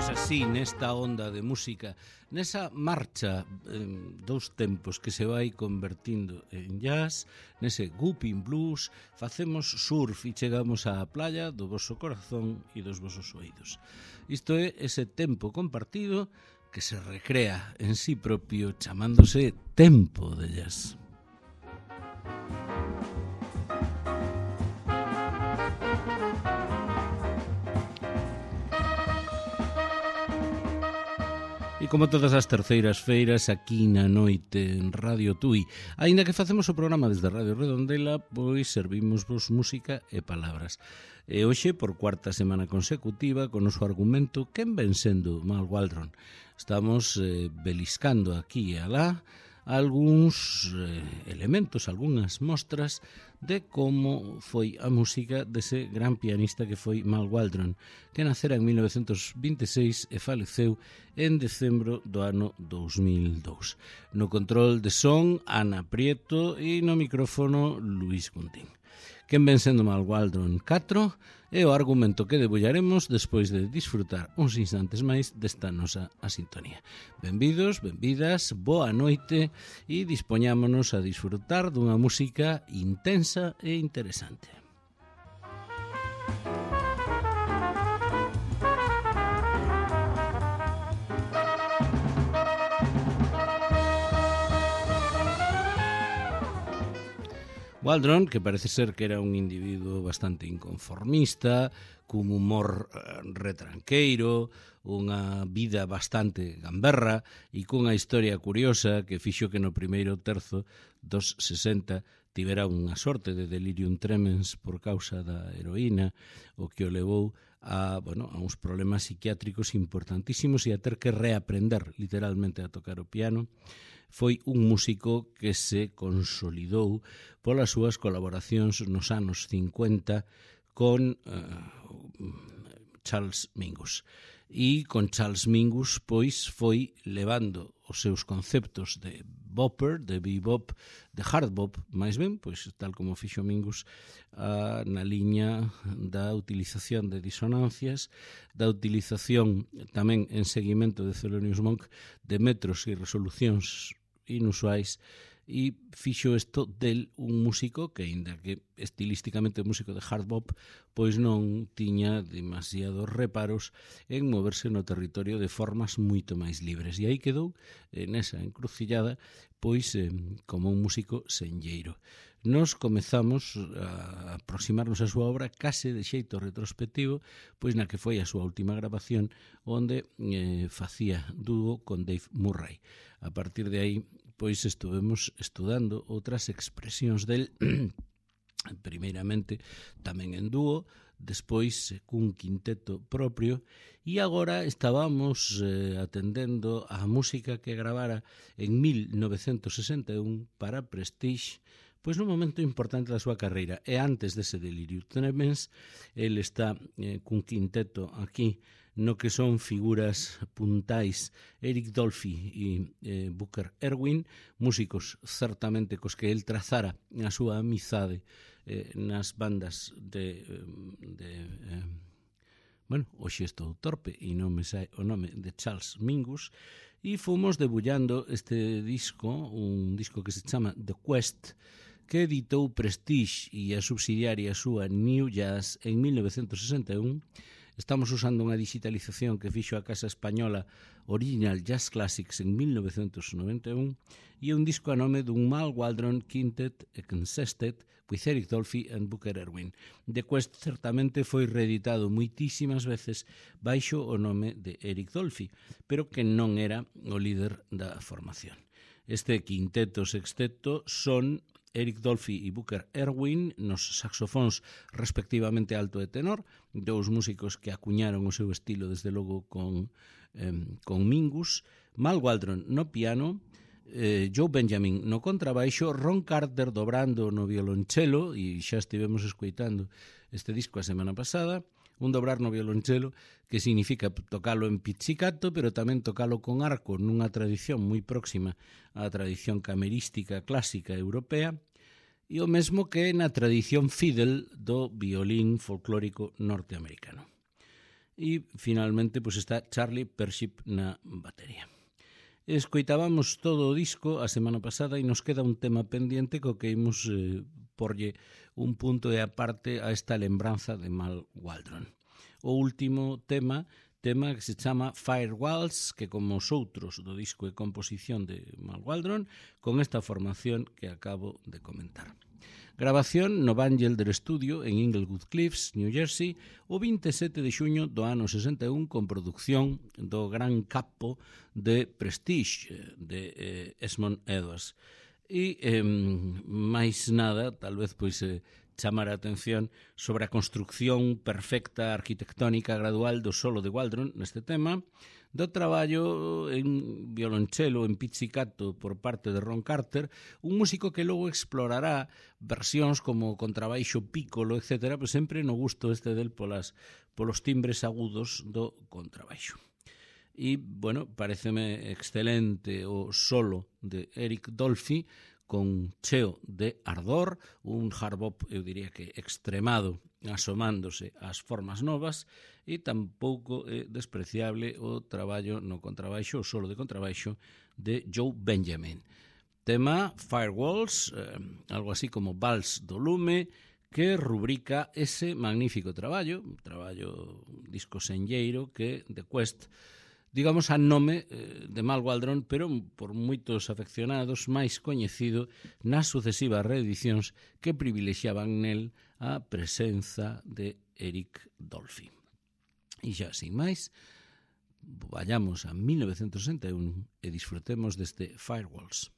Así, nesta onda de música, nesa marcha dous tempos que se vai convertindo en jazz, nese whooping blues, facemos surf e chegamos á playa do voso corazón e dos vosos oídos. Isto é ese tempo compartido que se recrea en sí propio chamándose tempo de jazz. E como todas as terceiras feiras aquí na noite en Radio Tui, aínda que facemos o programa desde Radio Redondela, pois servimos vos música e palabras. E hoxe, por cuarta semana consecutiva, con o noso argumento quen ven sendo Mal Waldron. Estamos beliscando aquí e alá algúns elementos, algunhas mostras de como foi a música dese gran pianista que foi Mal Waldron, que nacera en 1926 e faleceu en decembro do ano 2002. No control de son, Ana Prieto, e no micrófono, Luis Guntín. Quen ven sendo Mal Waldron 4 é o argumento que debullaremos despois de disfrutar uns instantes máis desta nosa sintonía. Benvidos, benvidas, boa noite e dispoñámonos a disfrutar dunha música intensa e interesante. Waldron, que parece ser que era un individuo bastante inconformista, cun humor retranqueiro, unha vida bastante gamberra e cunha historia curiosa que fixo que no primeiro terzo dos 60 tivera unha sorte de delirium tremens por causa da heroína, o que o levou a uns problemas psiquiátricos importantísimos e a ter que reaprender literalmente a tocar o piano. Foi un músico que se consolidou polas súas colaboracións nos anos 50 con Charles Mingus. E con Charles Mingus pois foi levando os seus conceptos de bopper, de bebop, de hard bop, máis ben, pois tal como fixo Mingus, na liña da utilización de disonancias, da utilización tamén en seguimento de Thelonious Monk de metros e resolucións inusuais, e fixo isto del un músico que, aínda que estilísticamente músico de hard bop, pois non tiña demasiados reparos en moverse no territorio de formas moito máis libres. E aí quedou nesa encrucillada, pois como un músico senlleiro. Nos comezamos a aproximarnos a súa obra case de xeito retrospectivo, pois na que foi a súa última grabación, onde facía dúo con Dave Murray. A partir de aí, pois estuvemos estudando outras expresións del, primeiramente tamén en dúo, despois cun quinteto propio, e agora estábamos atendendo a música que gravara en 1961 para Prestige, pois nun momento importante da súa carreira. E antes dese delirium tremens, el está cun quinteto aquí, no que son figuras puntais Eric Dolphy e Booker Erwin, músicos certamente cos que el trazara a súa amizade nas bandas hoxe estou torpe e non me sai o nome de Charles Mingus, e fomos debullando este disco, un disco que se chama The Quest, que editou Prestige e a subsidiaria súa New Jazz en 1961. Estamos usando unha digitalización que fixo a Casa Española Original Jazz Classics en 1991 e un disco a nome dun Mal Waldron Quintet Consisted with Eric Dolphy and Booker Erwin. The Quest certamente foi reeditado moitísimas veces baixo o nome de Eric Dolphy, pero que non era o líder da formación. Este quinteto sexteto son Eric Dolphy e Booker Erwin nos saxofóns respectivamente alto e tenor, dous músicos que acuñaron o seu estilo desde logo con Mingus, Mal Waldron no piano, Joe Benjamin no contrabaixo, Ron Carter dobrando no violonchelo, e xa estivemos escoitando este disco a semana pasada, un dobrar no violonchelo que significa tocalo en pizzicato, pero tamén tocalo con arco nunha tradición moi próxima á tradición camerística clásica europea, e o mesmo que na tradición fiddle do violín folclórico norteamericano. e finalmente pois está Charlie Pership na batería. Escoitábamos todo o disco a semana pasada e nos queda un tema pendiente co que imos porlle un punto e aparte a esta lembranza de Mal Waldron. O último tema que se chama Firewalls, que como os outros do disco e composición de Mal Waldron, con esta formación que acabo de comentar. Grabación no Vangelder Studio en Inglewood Cliffs, New Jersey, o 27 de xuño do ano 61 con produción do gran capo de Prestige, de Esmond Edwards. E máis nada, tal vez pois chamar a atención sobre a construcción perfecta arquitectónica gradual do solo de Waldron neste tema, do traballo en violonchelo, en pizzicato por parte de Ron Carter, un músico que logo explorará versións como contrabaixo, piccolo, etc., pero sempre no gusto del polos timbres agudos do contrabaixo. E, bueno, pareceme excelente o solo de Eric Dolphy, con cheo de ardor, un hard bop, eu diría que extremado, asomándose ás formas novas, e tampouco é despreciable o traballo no contrabaixo, o solo de contrabaixo de Joe Benjamin. Tema Firewalls, algo así como Vals do Lume, que rubrica ese magnífico traballo, un disco senlleiro que The Quest, digamos a nome de Mal Waldron, pero por moitos afeccionados máis coñecido nas sucesivas reedicións que privilexiaban nel a presenza de Eric Dolphy. E xa, sin máis, vayamos a 1961 e disfrutemos deste Firewalls.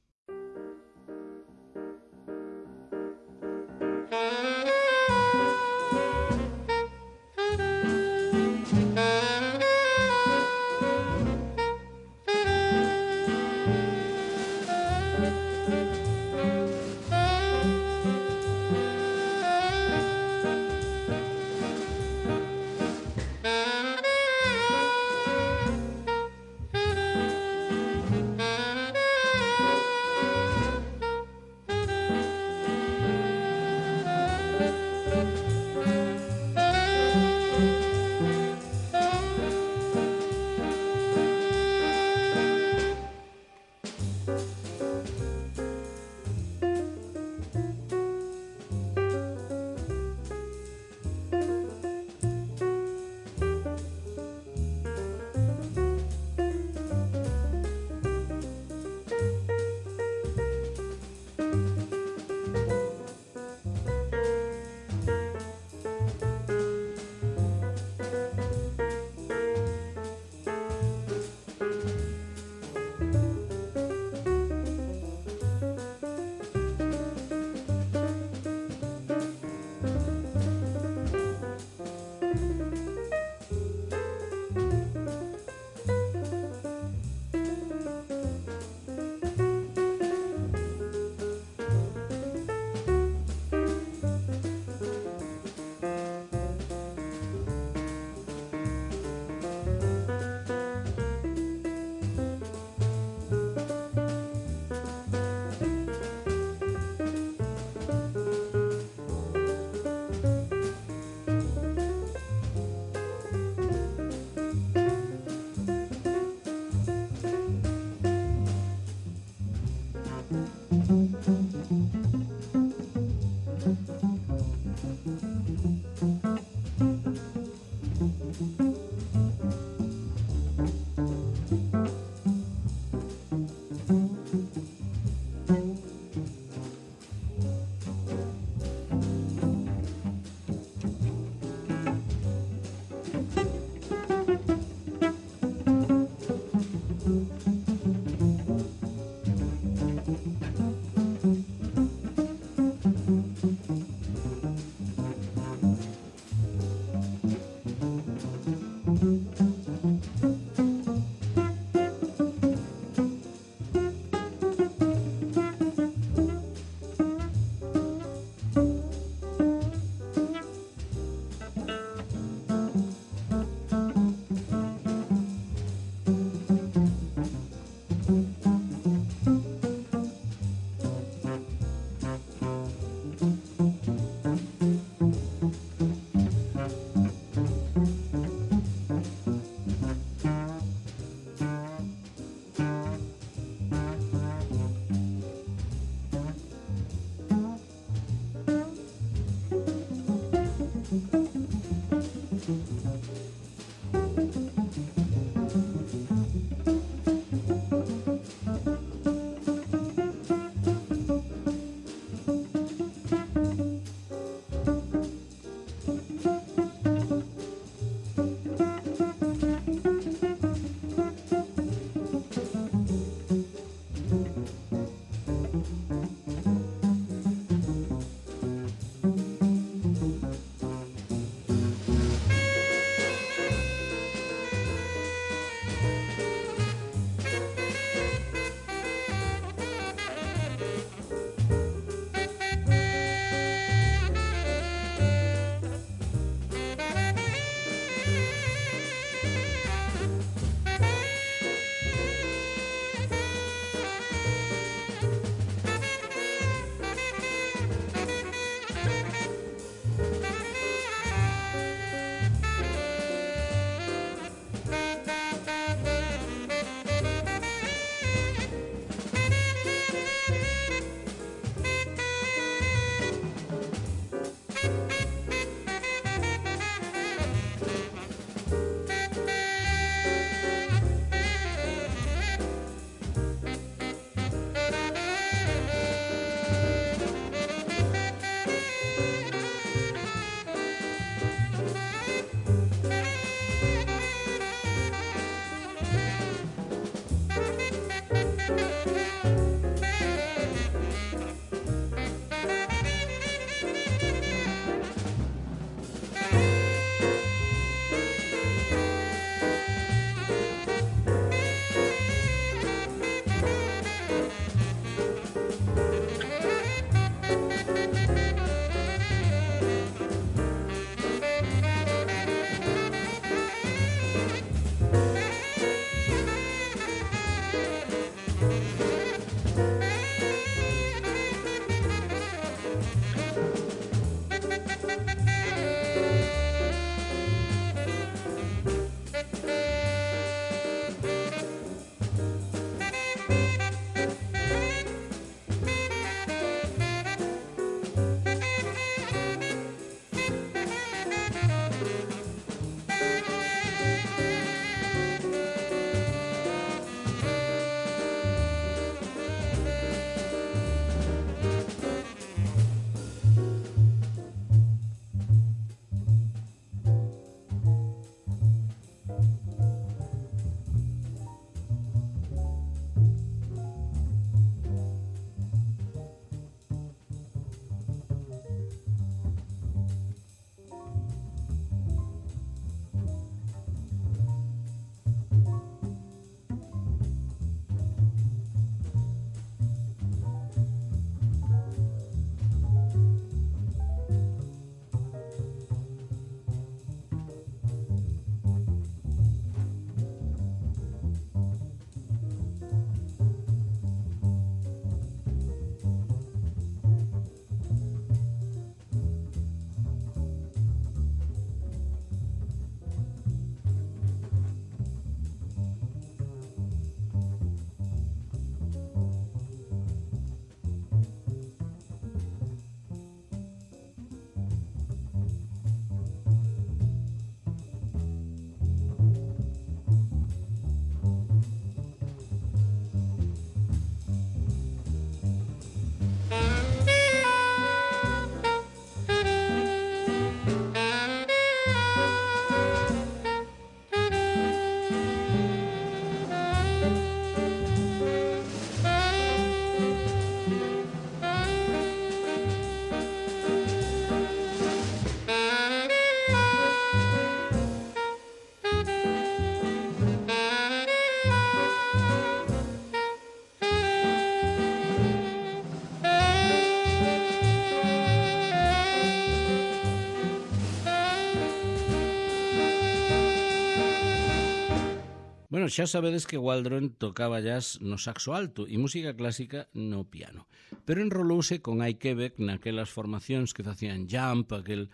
Bueno, xa sabedes que Waldron tocaba jazz no saxo alto e música clásica no piano, pero enrolouse con Ike Quebec naquelas formacións que facían jump, aquel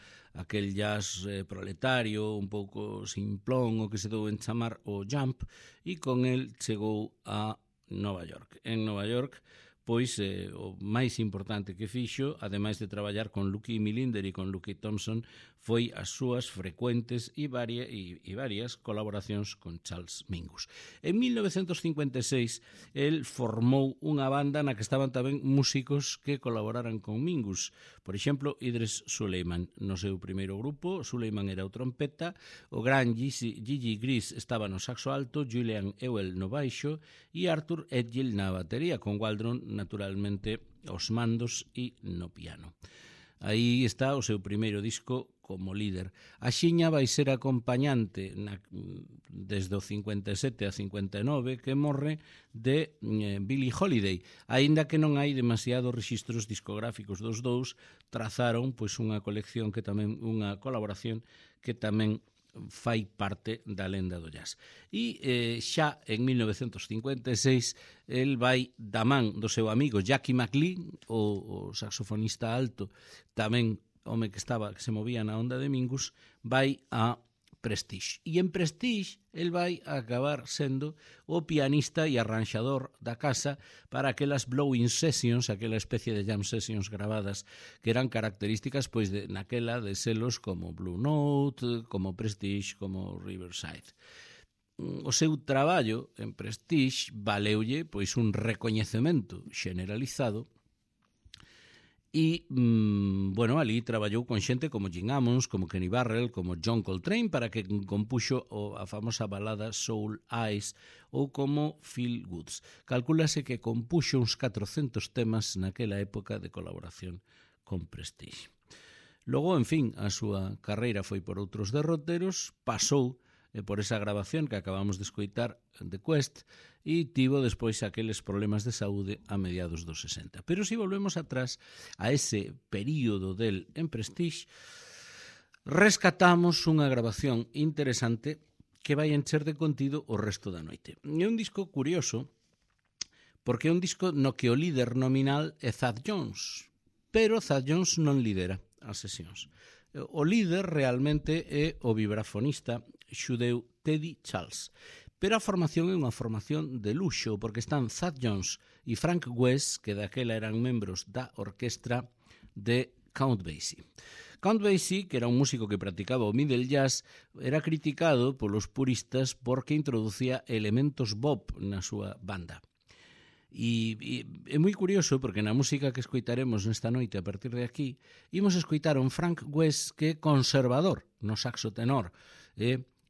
jazz proletario, un pouco simplón, o que se dou en chamar o jump, e con el chegou a Nova York. En Nova York, pois o máis importante que fixo, ademais de traballar con Lucky Milinder e con Lucky Thompson, foi as súas frecuentes e varias colaboracións con Charles Mingus. En 1956, el formou unha banda na que estaban tamén músicos que colaboraran con Mingus. Por exemplo, Idris Suleiman no seu primeiro grupo. Suleiman era o trompeta, o gran Gigi Gris estaba no saxo alto, Julian Ewell no baixo e Arthur Edgill na batería, con Waldron naturalmente aos mandos e no piano. Aí está o seu primeiro disco como líder. A xiña vai ser acompañante desde o 57 a 59, que morre, de Billie Holiday. Aínda que non hai demasiados rexistros discográficos dos dous, trazaron pois unha colección que tamén, unha colaboración que tamén fai parte da lenda do jazz. E xa en 1956 el vai da man do seu amigo Jackie McLean, o saxofonista alto, tamén home que se movía na onda de Mingus, vai a Prestige. E en Prestige el vai a acabar sendo o pianista e arranxador da casa para aquelas blowing sessions, aquela especie de jam sessions gravadas que eran características pois naquela de selos como Blue Note, como Prestige, como Riverside. O seu traballo en Prestige valeulle pois un recoñecemento generalizado. E, ali traballou con xente como Gene Ammons, como Kenny Barrell, como John Coltrane, para que compuxo a famosa balada Soul Eyes, ou como Phil Woods. Calcúlase que compuxo uns 400 temas naquela época de colaboración con Prestige. Logo, en fin, a súa carreira foi por outros derroteros, pasou por esa grabación que acabamos de escoitar de Quest, e tivo despois aqueles problemas de saúde a mediados dos 60. Pero se volvemos atrás a ese período del en Prestige, rescatamos unha grabación interesante que vai encher de contido o resto da noite. É un disco curioso, porque é un disco no que o líder nominal é Thad Jones, pero Thad Jones non lidera as sesións. O líder realmente é o vibrafonista xudeu Teddy Charles. Pero a formación é unha formación de luxo, porque están Thad Jones e Frank West, que daquela eran membros da orquestra de Count Basie. Count Basie, que era un músico que practicaba o middle jazz, era criticado polos puristas porque introducía elementos bop na súa banda. E é moi curioso porque na música que escoitaremos nesta noite a partir de aquí imos escoitar un Frank West que é conservador no saxo tenor,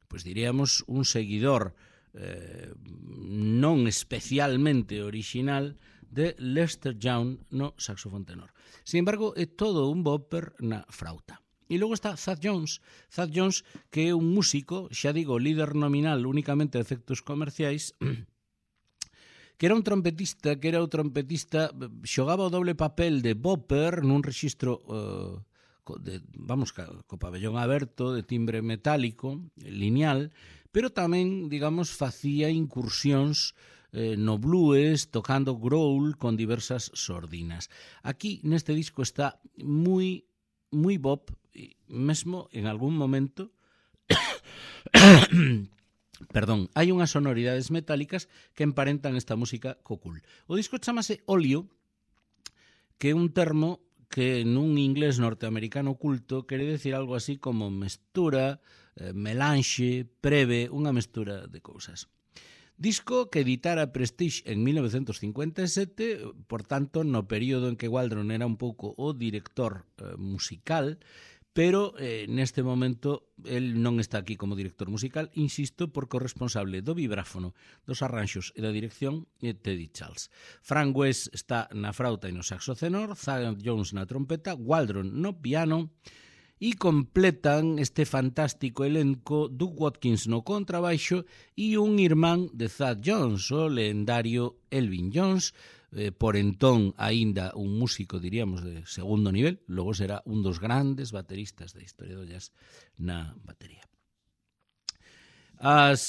pois diríamos un seguidor non especialmente original de Lester Young no saxofón tenor. Sin embargo, é todo un bopper na frauta. E logo está Thad Jones, que é un músico, xa digo, líder nominal únicamente de efectos comerciais, que era un trompetista, xogaba o doble papel de bopper nun rexistro co pabellón aberto, de timbre metálico, lineal, pero tamén, facía incursións no blues, tocando growl con diversas sordinas. Aquí, neste disco, está moi bop, mesmo en algún momento hai unhas sonoridades metálicas que emparentan esta música co cool. O disco chamase Olio, que é un termo que nun inglés norteamericano culto quere decir algo así como mestura, melanxe, preve, unha mestura de cousas. Disco que editara Prestige en 1957, por tanto, no período en que Waldron era un pouco o director musical, pero neste momento el non está aquí como director musical, insisto, porque o responsable do vibráfono, dos arranxos e da dirección é Teddy Charles. Frank West está na frauta e no saxo tenor, Thad Jones na trompeta, Waldron no piano, e completan este fantástico elenco Doug Watkins no contrabaixo e un irmán de Thad Jones, o lendario Elvin Jones, por entón aínda un músico, diríamos, de segundo nivel, logo será un dos grandes bateristas da historia do jazz na batería. As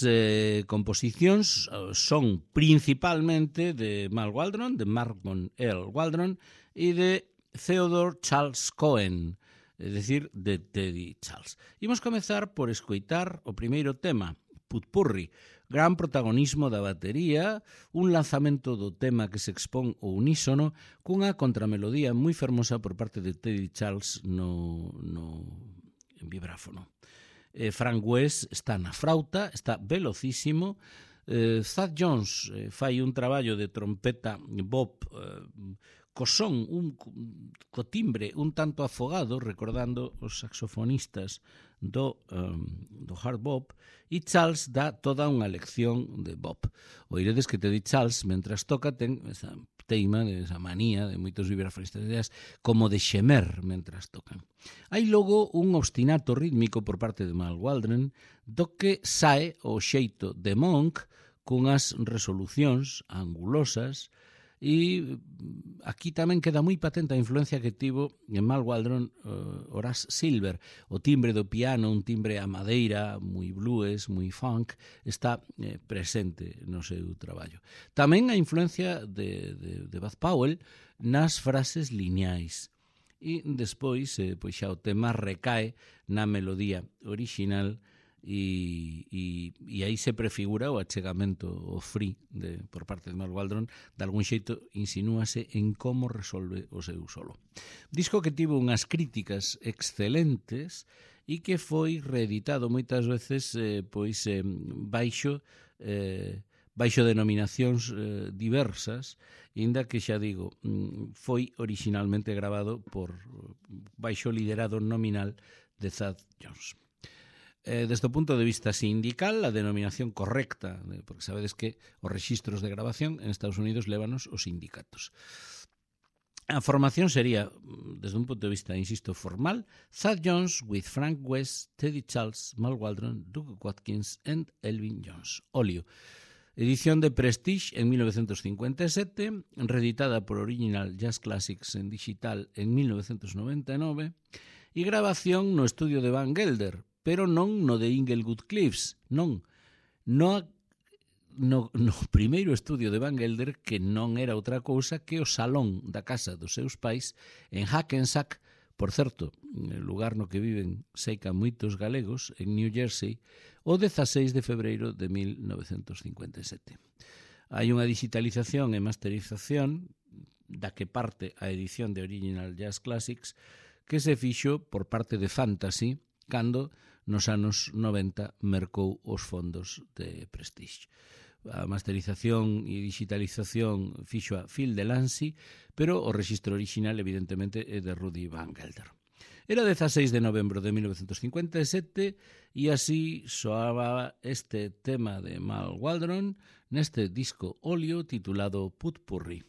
composicións son principalmente de Mal Waldron, de Marmon Earl Waldron e de Theodore Charles Cohen, é dicir, de Teddy Charles. Imos comezar por escoitar o primeiro tema, Putpurri. Gran protagonismo da batería, un lanzamento do tema que se expón ao unísono cunha contramelodía moi fermosa por parte de Teddy Charles no vibráfono. Frank West está na frauta, está velocísimo. Thad Jones fai un traballo de trompeta bop co son, co timbre un tanto afogado, recordando os saxofonistas do hard bop, e Charles dá toda unha lección de bop. Oiredes que Teddy Charles, mentras toca, ten esa teima, esa manía de moitos vibrafonistas como de xemer mentras tocan. Hai logo un obstinato rítmico por parte de Mal Waldron do que sae o xeito de Monk cunhas resolucións angulosas. E aquí tamén queda moi patente a influencia que tivo en Mal Waldron Horace Silver. O timbre do piano, un timbre a madeira, moi blues, moi funk, está presente no seu traballo. Tamén a influencia de Bud Powell nas frases lineais. E despois, pois xa o tema recae na melodía orixinal e aí se prefigura o achegamento, o free por parte de Mal Waldron, de algún xeito insinúase en como resolve o seu solo. Disco que tivo unhas críticas excelentes e que foi reeditado moitas veces baixo denominacións diversas, inda que xa digo, foi originalmente grabado baixo liderado nominal de Thad Jones. Desde o punto de vista sindical, a denominación correcta, porque sabedes que os rexistros de grabación en Estados Unidos lévanos os sindicatos. A formación sería, desde un punto de vista, insisto, formal, Thad Jones with Frank West, Teddy Charles, Mal Waldron, Duke Watkins and Elvin Jones. Óleo. Edición de Prestige en 1957, reeditada por Original Jazz Classics en digital en 1999 e grabación no estudio de Van Gelder, pero non no de Inglewood Cliffs, non. No primeiro estudio de Van Gelder, que non era outra cousa que o salón da casa dos seus pais en Hackensack, por certo, lugar no que viven seica moitos galegos, en New Jersey, o 16 de febreiro de 1957. Hai unha digitalización e masterización da que parte a edición de Original Jazz Classics que se fixo por parte de Fantasy cando nos anos 90 mercou os fondos de Prestige. A masterización e digitalización fixo a Phil Delancey, pero o rexistro original evidentemente é de Rudy Van Gelder. Era 16 de novembro de 1957 e así soaba este tema de Mal Waldron neste disco óleo titulado Putpurri.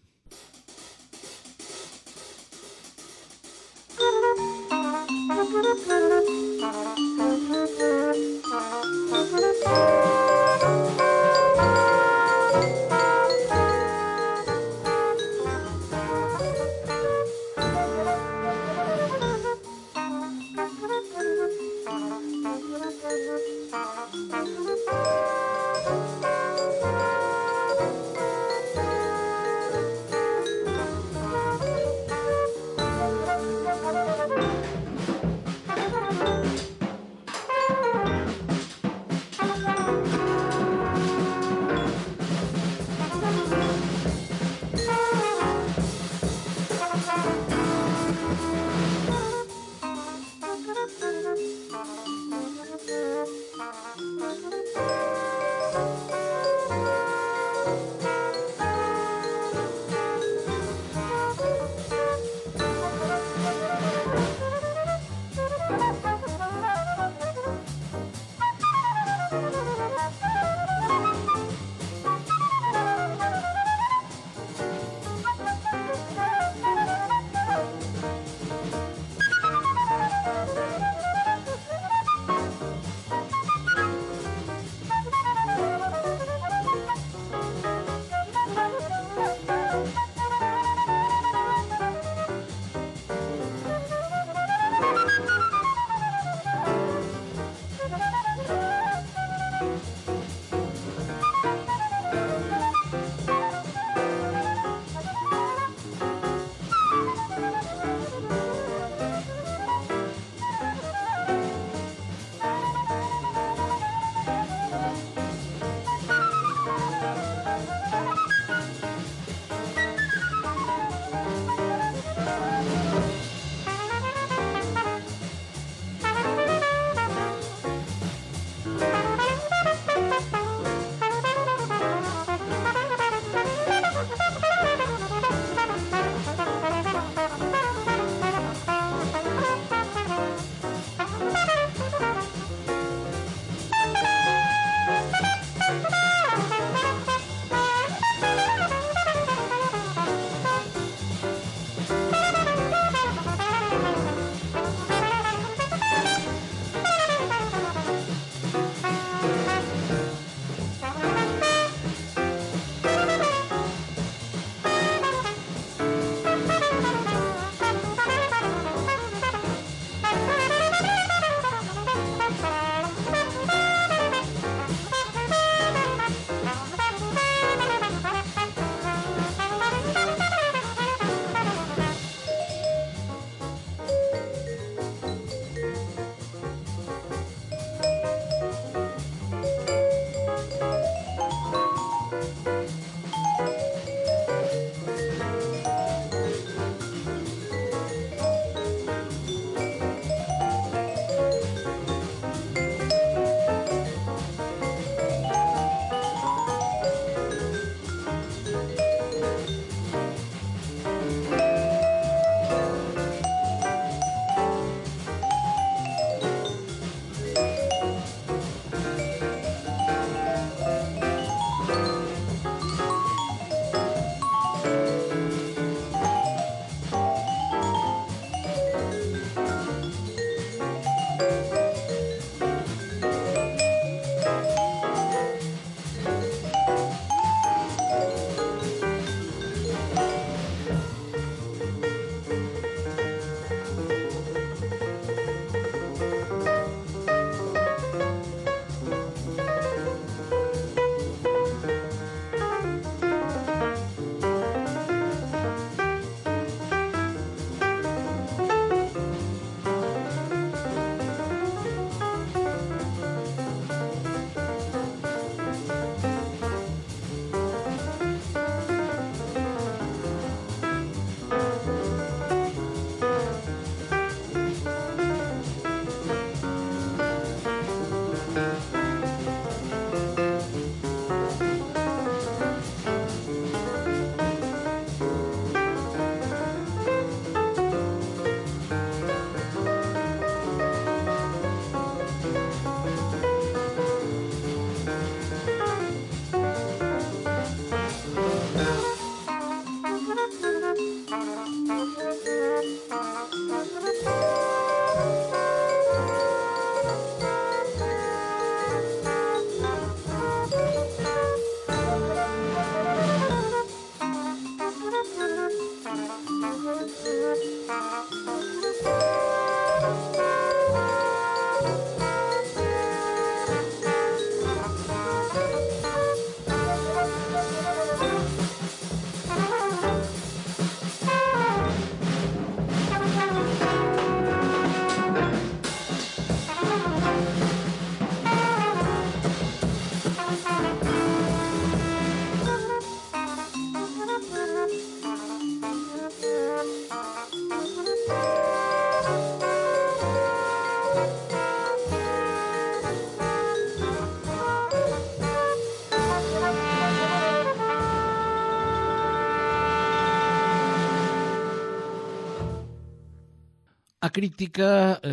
A crítica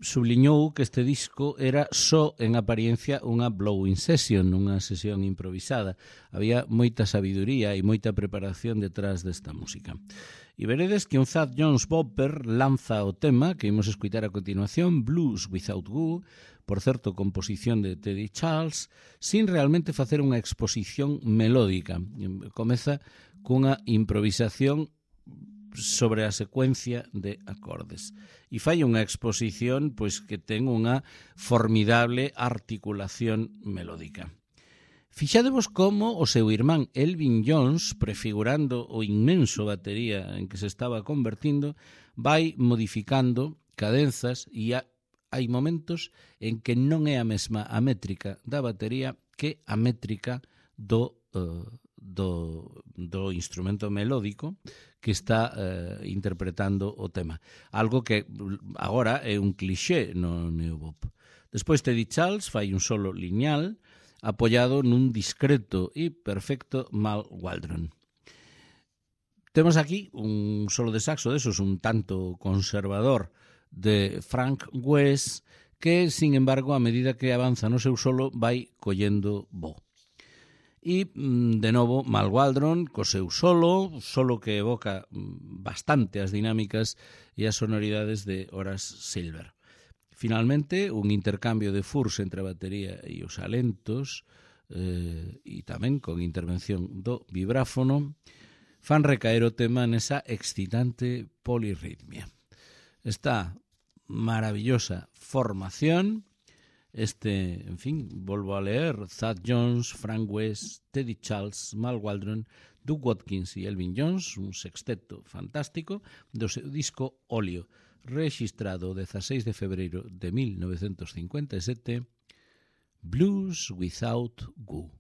subliñou que este disco era só en apariencia unha blowing session, unha sesión improvisada. Había moita sabiduría e moita preparación detrás desta música. E veredes que un Thad Jones Bopper lanza o tema que imos escutar a continuación, Blues Without Goo, por certo, composición de Teddy Charles, sin realmente facer unha exposición melódica. Comeza cunha improvisación sobre a secuencia de acordes. E fai unha exposición pois que ten unha formidable articulación melódica. Fixadevos como o seu irmán Elvin Jones, prefigurando o inmenso batería en que se estaba convertindo, vai modificando cadenzas e hai momentos en que non é a mesma a métrica da batería que a métrica do instrumento melódico que está interpretando o tema. Algo que agora é un cliché no neobop. Despois Teddy Charles fai un solo lineal apoiado nun discreto e perfecto Mal Waldron. Temos aquí un solo de saxo desos un tanto conservador de Frank West que, sin embargo, a medida que avanza no seu solo vai collendo bo. E, de novo, Mal Waldron co seu solo que evoca bastante as dinámicas e as sonoridades de Horace Silver. Finalmente, un intercambio de furs entre a batería e os alentos e tamén con intervención do vibráfono fan recaer o tema nesa excitante polirritmia. Esta maravillosa formación, en fin, volvo a leer, Thad Jones, Frank West, Teddy Charles, Mal Waldron, Doug Watkins e Elvin Jones, un sexteto fantástico do seu disco Óleo, registrado o 16 de febreiro de 1957, Blues Without Goo.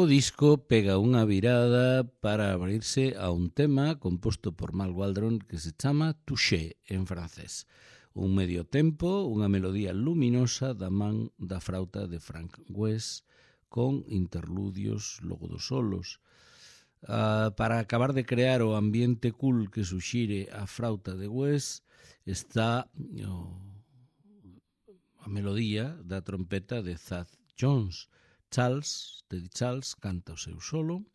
O disco pega unha virada para abrirse a un tema composto por Mal Waldron que se chama Touché en francés. Un medio tempo, unha melodía luminosa da man da frauta de Frank West con interludios logo dos solos. Para acabar de crear o ambiente cool que suxire a frauta de Wes está a melodía da trompeta de Thad Jones. Teddy Charles canta o seu solo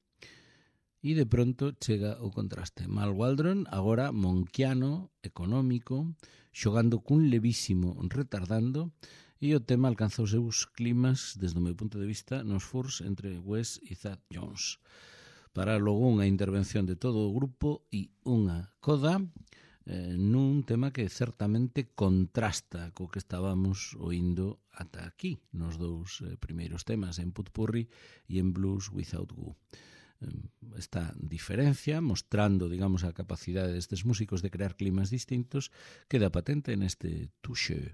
e de pronto chega o contraste. Mal Waldron, agora monquiano, económico, xogando cun levísimo retardando, e o tema alcanza os seus climas, desde o meu punto de vista, nos furs entre Wes e Thad Jones. Para logo unha intervención de todo o grupo e unha coda nun tema que certamente contrasta co que estábamos oindo ata aquí, nos dous primeiros temas, en Potpourri e en Blues Without Goo. Esta diferencia, mostrando, digamos, a capacidade destes músicos de crear climas distintos, queda patente neste Touche.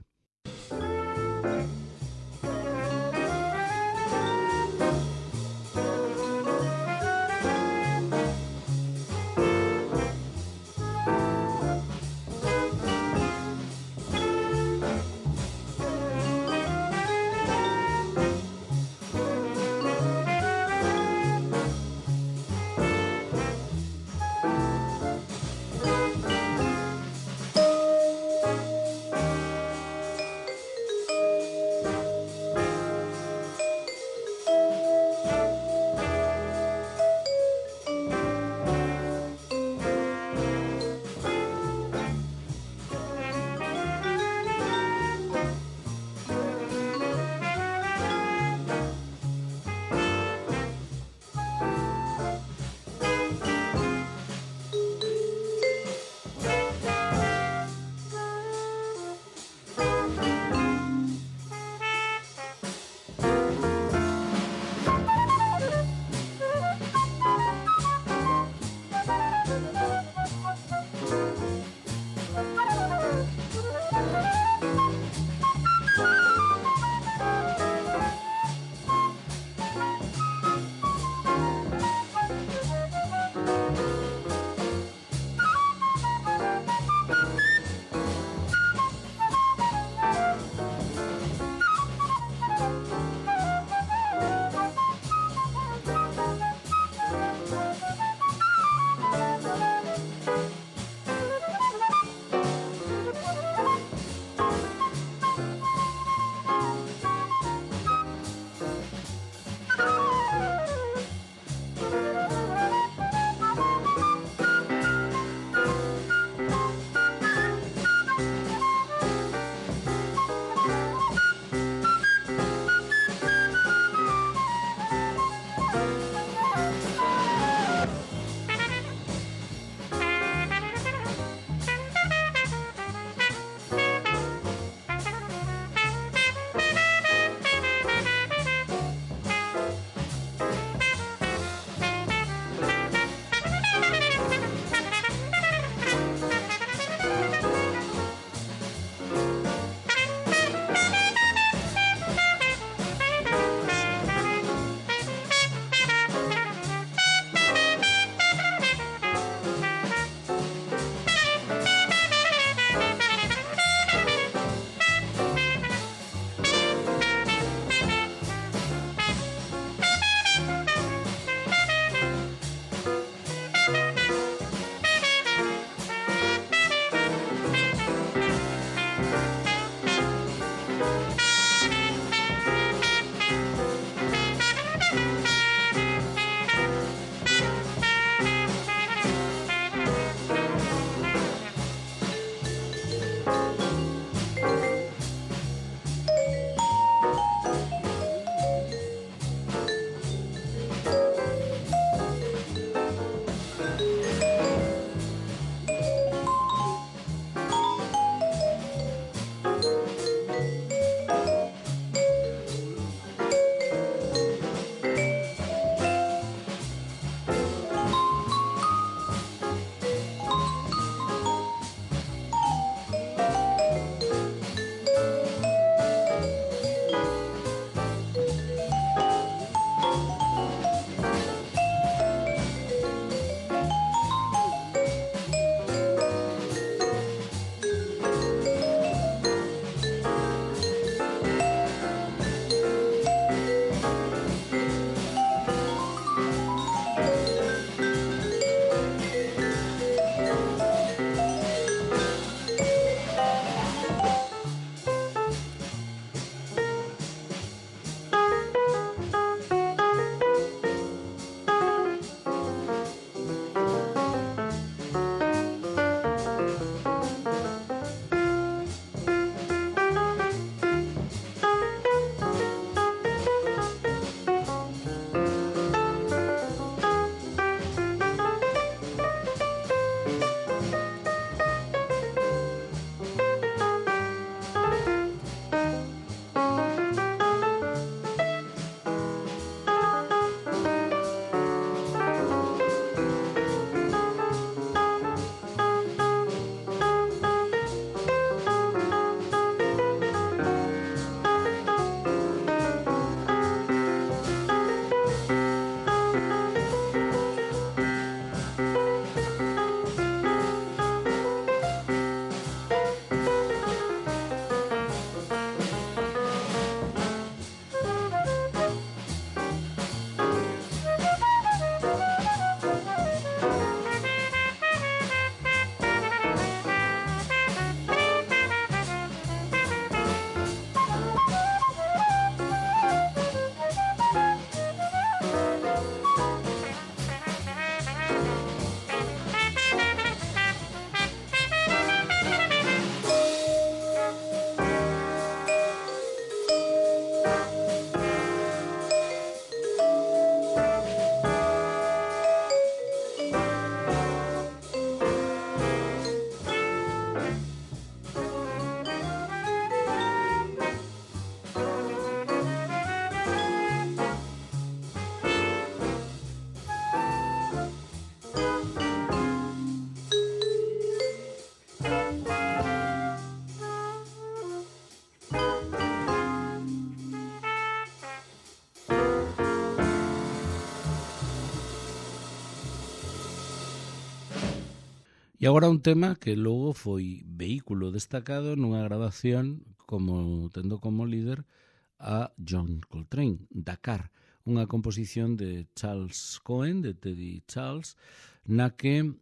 E agora un tema que logo foi vehículo destacado nunha grabación tendo como líder a John Coltrane, Dakar, unha composición de Charles Cohen, de Teddy Charles, na que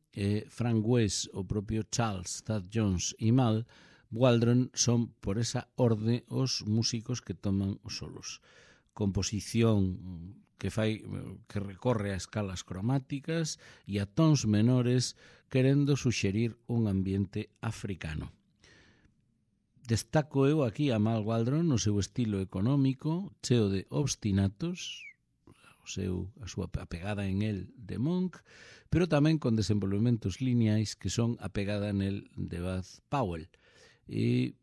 Frank West, o propio Charles, Thad Jones e Mal Waldron son por esa orde os músicos que toman os solos. Composición que recorre a escalas cromáticas e a tons menores, querendo suxerir un ambiente africano. Destaco eu aquí a Mal Waldron no seu estilo económico, cheo de obstinatos, a súa apegada en el de Monk, pero tamén con desenvolvementos lineais que son a pegada nel de Bud Powell. E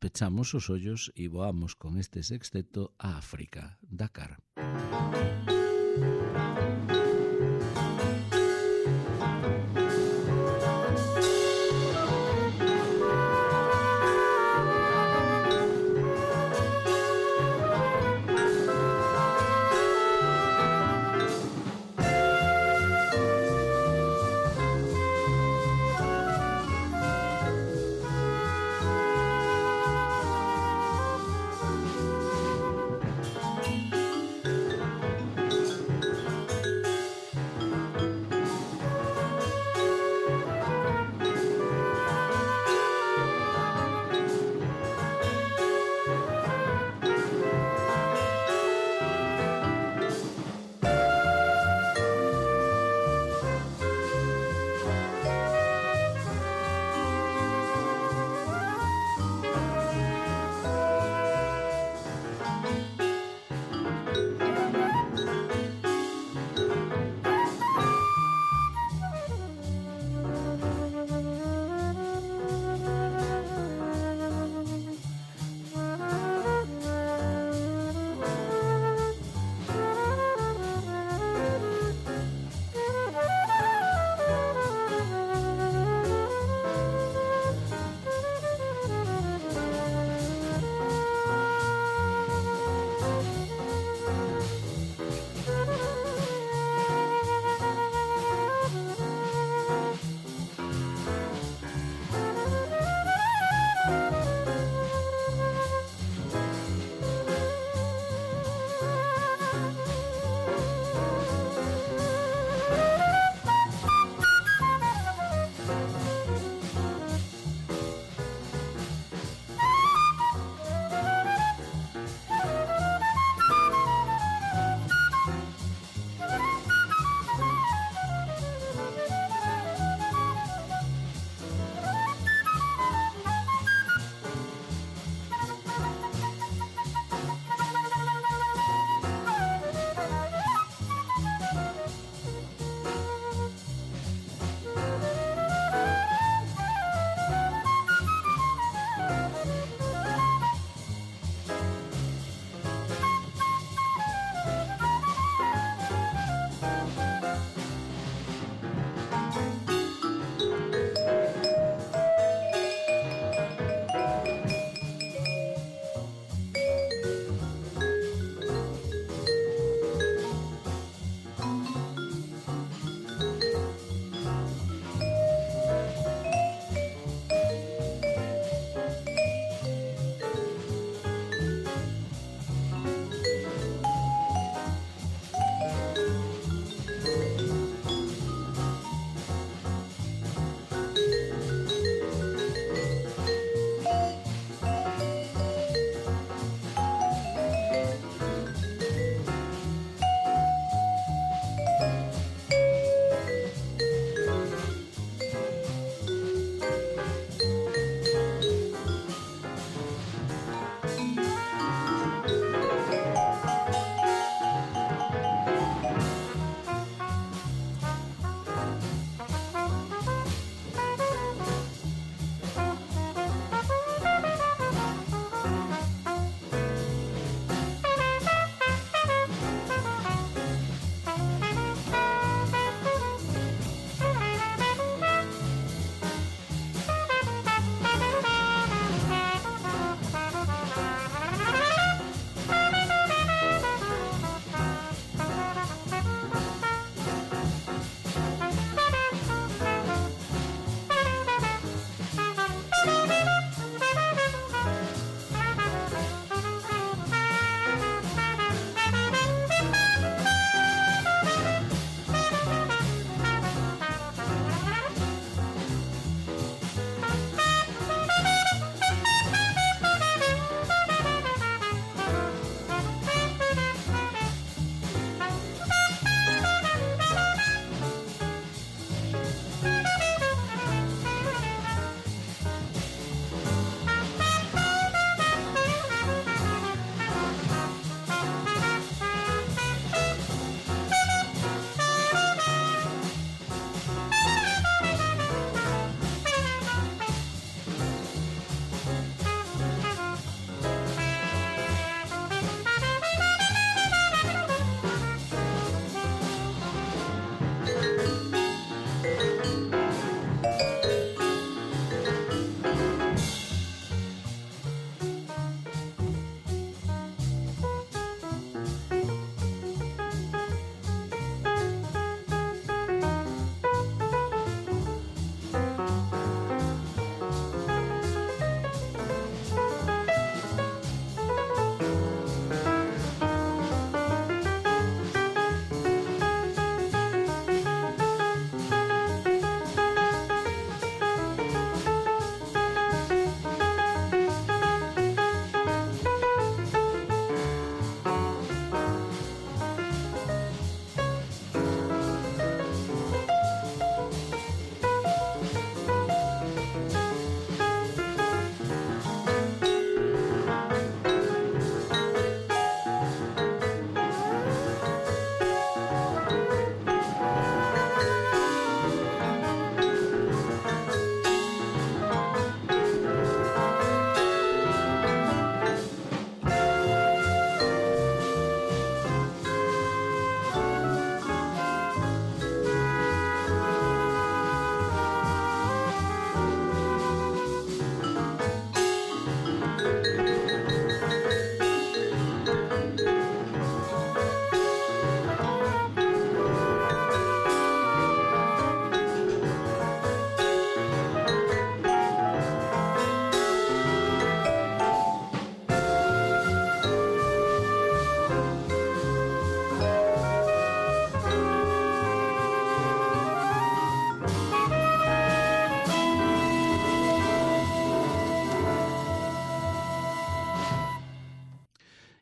pechamos os ollos e voamos con este sexteto a África, Dakar.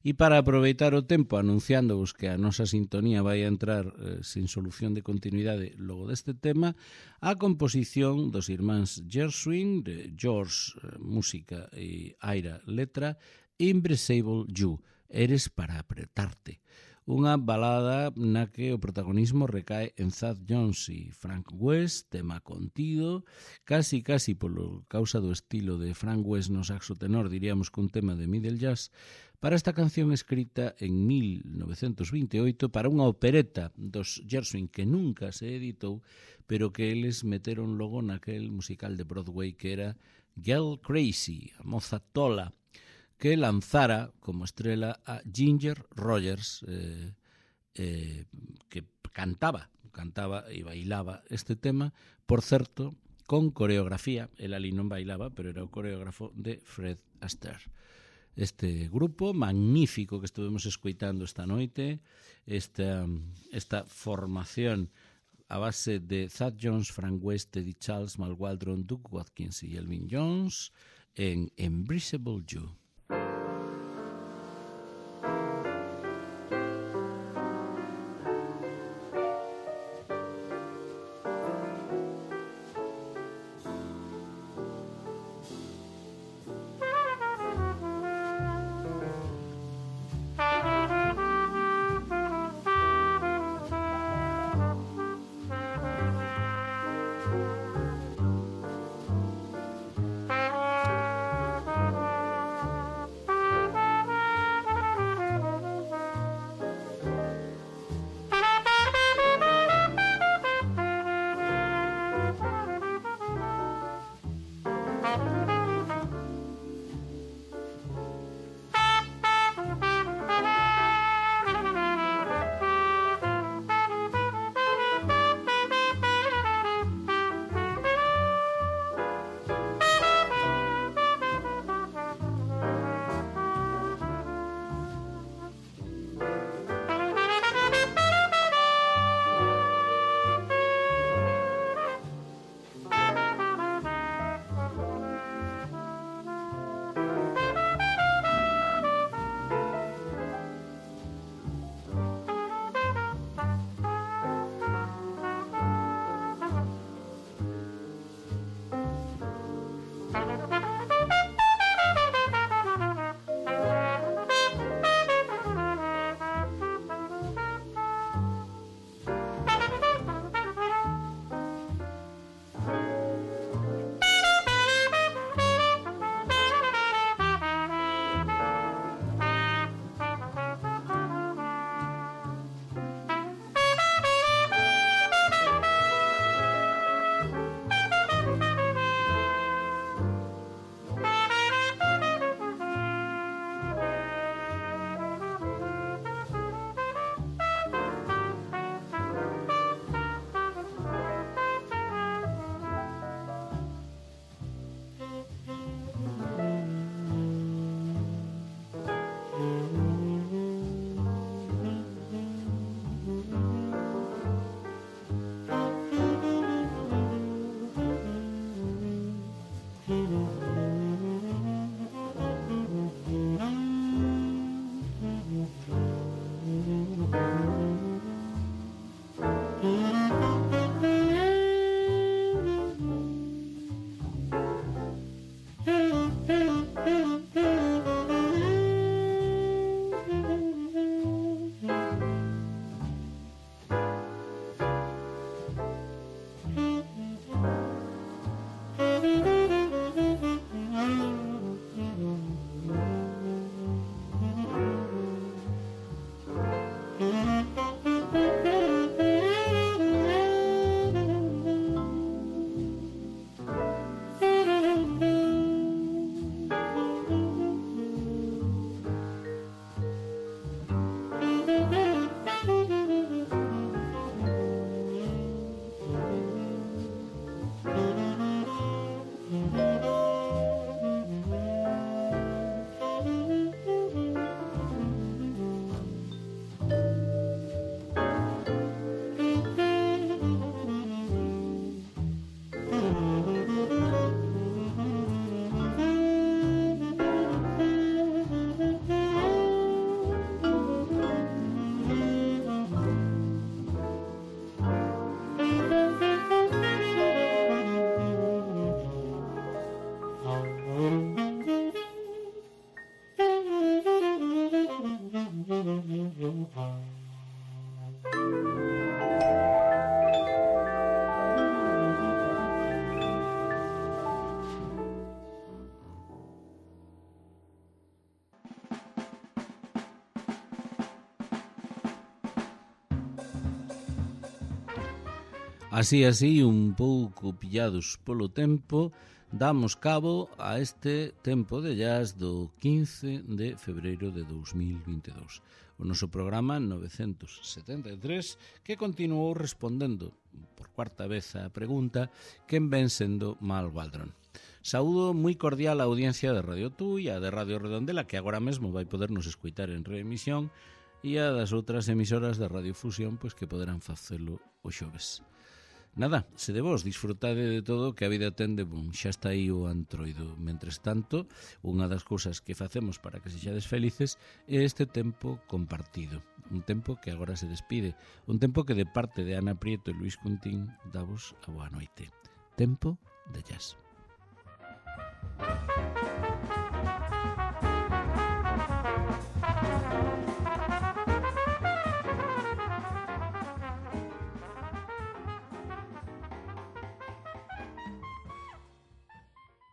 E para aproveitar o tempo anunciándovos que a nosa sintonía vai a entrar sin solución de continuidade logo deste tema, a composición dos irmáns Gershwin, de George música e Ira letra, Embraceable You, Eres para apretarte. Unha balada na que o protagonismo recae en Thad Jones e Frank West, tema contido, casi polo causa do estilo de Frank West no saxo tenor, diríamos que un tema de middle jazz, para esta canción escrita en 1928 para unha opereta dos Gershwin que nunca se editou, pero que eles meteron logo naquel musical de Broadway que era Girl Crazy, a moza tola, que lanzara como estrela a Ginger Rogers, que cantaba e bailaba este tema, por certo, con coreografía. El ali non bailaba, pero era o coreógrafo de Fred Astaire. Este grupo magnífico que estuvemos escoitando esta noite, esta formación a base de Thad Jones, Frank West, Eddie Charles, Mal Waldron, Duke Watkins e Elvin Jones en Embraceable You. Así, un pouco pillados polo tempo, damos cabo a este tempo de jazz do 15 de febreiro de 2022. O noso programa 973, que continuou respondendo por cuarta vez a pregunta quen ven sendo Mal Waldron. Saúdo moi cordial a audiencia de Radio Tui, a de Radio Redondela, que agora mesmo vai podernos escoitar en reemisión, e a das outras emisoras da Radio Fusión, pois que poderán facelo o xoves. Nada, se de vos disfrutade de todo que a vida ten de bon, xa está aí o antroido. Mentres tanto, unha das cousas que facemos para que sexades felices é este tempo compartido. Un tempo que agora se despide. Un tempo que de parte de Ana Prieto e Luis Cuntín davos a boa noite. Tempo de jazz.